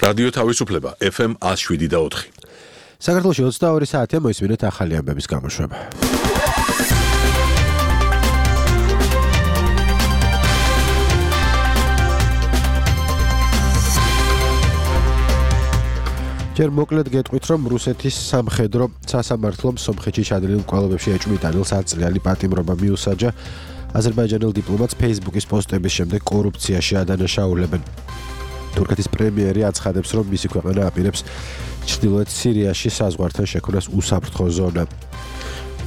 რადიო თავისუფლება FM 107.4. საქართველოში 22 საათია მოისმინეთ ახალი ამბების გამოშვება. ჯერ მოკლედ გეტყვით, რომ რუსეთის სამხედრო სასამართლომ სომხეთში ჩადენილ მკვლელობებში ეჭვმიტანილს 10 წლიანი პატიმრობა მიუსაჯა. აზერბაიჯანელ დიპლომატს Facebook-ის პოსტების შემდეგ კორუფციაში ადანაშაულებენ. თურქეთის პრემიერი აცხადებს, რომ მისი ქვეყანა აპირებს ჩრდილოეთ სირიაში საზღვართან შექმნას უსაფრთხო ზონა.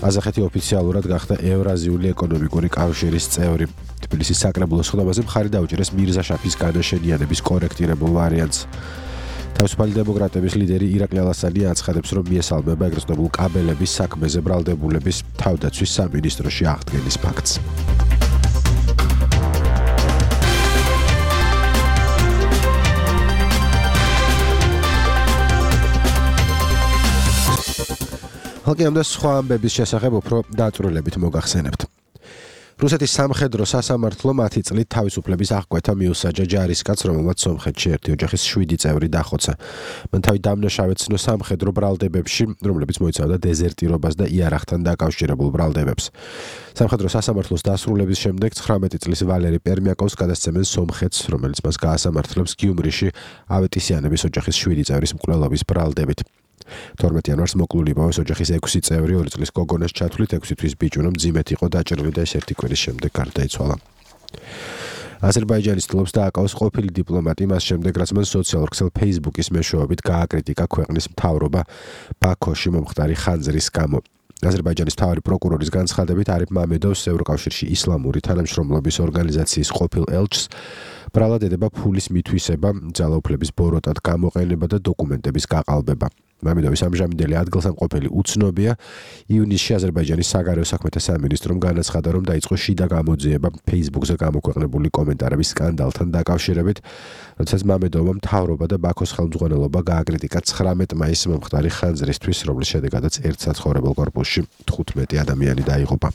ყაზახეთი ოფიციალურად გახდა ევრაზიული ეკონომიკური კავშირის წევრი. თბილისის საკრებულოს ხდომაზე მხარი დაუჭერეს მირზა შაფის განაშენიანების კორექტირებულ ვარიანტს. თავისუფალი დემოკრატების ლიდერი ირაკლი ალასანი აცხადებს, რომ მიესალმება ეგრეთ წოდებულ კაბელების საქმეზე ბრალდებულების თავდაცვის სამინისტროში აღდგენის ფაქტს. ხალხი და სხვა ამბების შესახებ უფრო დაწვრილებით მოგახსენებთ. რუსეთის სამხედრო სასამართლომ 10 წლით თავისუფლების აღკვეთა მიუსაჯა ჯარისკაცს, რომელმაც სომხეთში ერთი ოჯახის 7 წევრი დახოცა. მან თავი დამნაშავედ ცნო სამხედრო ბრალდებებში, რომლებიც მოიცავდა დეზერტირობას და იარაღთან დაკავშირებულ ბრალდებებს. სამხედრო სასამართლოს დასრულების შემდეგ 19 წლის ვალერი პერმიაკოვს გადასცემენ სომხეთს, რომელიც მას გაასამართლებს გიუმრიში ავეტისიანების ოჯახის 7 წევრის მკვლელობის ბრალდებით. 12 იანვარს მოკლული პოვეს ოჯახის 6 წევრი 2 წლის გოგონას ჩათვლით 6 თვის ბიჭუნა მძიმედ იყო დაჭრილი და ეს ერთი კვირის შემდეგ გარდაიცვალა. აზერბაიჯანის თლობს დააკავოს ყოფილი დიპლომატი მას შემდეგ, რაც მან სოციალურ ქსელ Facebook-ის მეშვეობით გააკრიტიკა ქვეყნის მთავრობა ბაქოში მომხდარი ხანძრის გამო. აზერბაიჯანის მთავარი პროკურორის განცხადებით არიფ მამედოვს ევროკავშირში ისლამური თანამშრომლობის ორგანიზაციის ყოფილ ელჩს ბრალად ედება ფულის მითვისება, ძალაუფლების ბოროტად გამოყენება და დოკუმენტების გაყალბება. მამედოვის ამჟამინდელი ადგილსამყოფელი უცნობია. ივნისში აზერბაიჯანის საგარეო საქმეთა სამინისტრომ განაცხადა, რომ დაიწყო შიდა გამოძიება Facebook-ზე გამოქვეყნებული კომენტარების სკანდალთან დაკავშირებით, როდესაც მამედოვმა მთავრობა და ბაქოს ხელმძღვანელობა გააკრიტიკა 19 მაისს მომხდარი ხანძრისთვის, რომლის შედეგადაც ერთ საცხოვრებელ კორპუსში 15 ადამიანი დაიღუპა.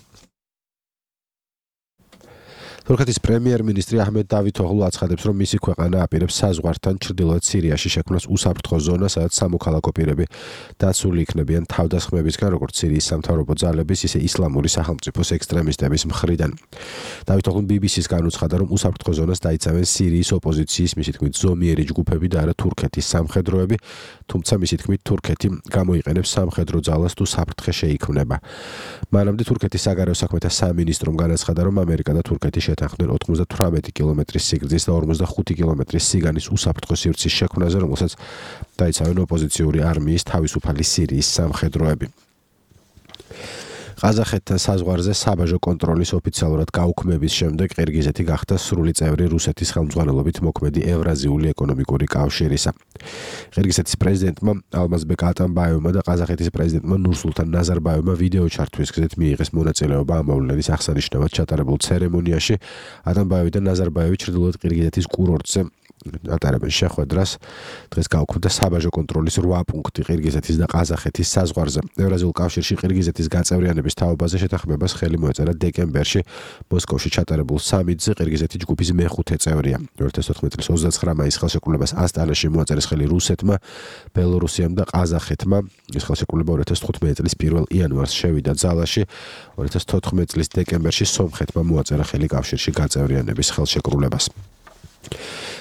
თურქეთის პრემიერ-მინისტრი აჰმედ დავითოღლუ აცხადებს, რომ მისი ქვეყანა აპირებს საზღვართან ჩრდილოეთ სირიაში შექმნას უსაფრთხო ზონა, სადაც სამოქალაქო პირები დაცული იქნებიან თავდასხმებისგან, როგორც სირიის სამთავრობო ძალების, ისე ისლამური სახელმწიფოს ექსტრემისტების მხრიდან. დავითოღლუმ BBC-ს განუცხადა, რომ უსაფრთხო ზონას დაიცავენ სირიის ოპოზიციის, მისი თქმით, ზომიერი ჯგუფები და არა თურქეთის სამხედროები, თუმცა მისი თქმით, თურქეთი გამოიყენებს სამხედრო ძალას თუ საფრთხე შეიქმნება. მანამდე თურქეთის საგარეო საქმეთა სამინისტრომ განაცხადა, რომ ამერიკა და თურქეთი შეთანხმდნენ 98 კილომეტრის სიგრძის და 45 კილომეტრის სიგანის უსაფრთხო სივრცის შექმნაზე, რომელსაც დაიცავენ ოპოზიციური არმიის თავისუფალი სირიის სამხედროები. ყაზახეთთან საზღვარზე საბაჟო კონტროლის ოფიციალურად გაუქმების შემდეგ ყირგიზეთი გახდა სრული წევრი რუსეთის ხელმძღვანელობით მოქმედი ევრაზიული ეკონომიკური კავშირისა. ყირგიზეთის პრეზიდენტმა ალმაზბეკ ატამბაევმა და ყაზახეთის პრეზიდენტმა ნურსულთან ნაზარბაევმა ვიდეო ჩართვის გზით მიიღეს მონაწილეობა ამ მოვლენის აღსანიშნავად ჩატარებულ ცერემონიაში. ატამბაევი და ნაზარბაევი ჩრდილოეთ ყირგიზეთის კურორტზე ატარებენ შეხვედრას. დღეს გაუქმდა საბაჟო კონტროლის 8 პუნქტი ყირგიზეთის და ყაზახეთის საზღვარზე. ევრაზიულ კავშირში ყირგიზეთის გაწევრიანების თაობაზე შეთანხმებას ხელი მოეწერა დეკემბერში მოსკოვში ჩატარებულ სამიტზე. ყირგიზეთი ჯგუფის მეხუთე წევრია. 2014 წლის 29 მაისის ხელშეკრულებას ასტანაში მოაწერეს ხელი რუსეთმა, ბელორუსიამ და ყაზახეთმა. ეს ხელშეკრულება 2015 წლის 1 იანვარს შევიდა ძალაში. 2014 წლის დეკემბერში სომხეთმა მოაწერა ხელი კავშირში გაწევრიანების ხელშეკრულებას.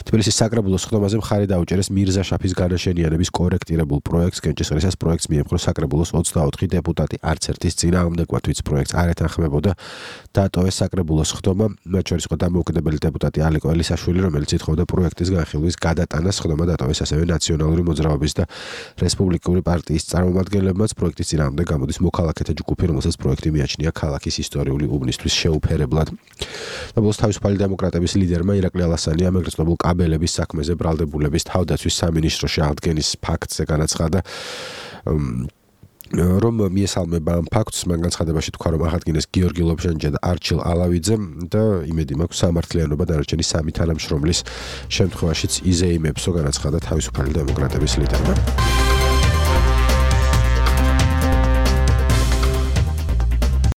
თბილისის საკრებულოს ხდომაზე მხარი დაუჭერეს მირზა შაფის განაშენიანების კორექტირებულ პროექტს. კენჭისყრისას პროექტს მიემხრო საკრებულოს 24 დეპუტატი, არც ერთის წინააღმდეგობა, თვით პროექტს არ ეთანხმებოდა. დატოვეს საკრებულოს ხდომა, მათ შორის იყო დამოუკიდებელი დეპუტატი ალიკო ელისაშვილი, რომელიც ითხოვდა პროექტის განხილვის გადატანას. ხდომა დატოვეს ასევე ნაციონალური მოძრაობის და რესპუბლიკური პარტიის წარმომადგენლებმაც. პროექტის წინააღმდეგ გამოდის მოქალაქეთა ჯგუფი, რომელსაც პროექტი მიაჩნია ქალაქის ისტორიული უბნისთვის შეუფერებლად. საბოლოოდ თავისუფალი დემოკრატების ლიდერმა ირაკლი ალასანი ეგრეთ წოდებულ კაბელების საქმეზე ბრალდებულების თავდაცვის სამინისტროში აღდგენის ფაქტზე განაცხადა, რომ მიესალმება ამ ფაქტს. მან განცხადებაში თქვა, რომ აღადგინეს გიორგი ლობჟანიძე და არჩილ ალავიძე და იმედი მაქვს სამართლიანობა დანარჩენი სამი თანამშრომლის შემთხვევაშიც იზეიმებსო, განაცხადა თავისუფალი დემოკრატების ლიდერმა.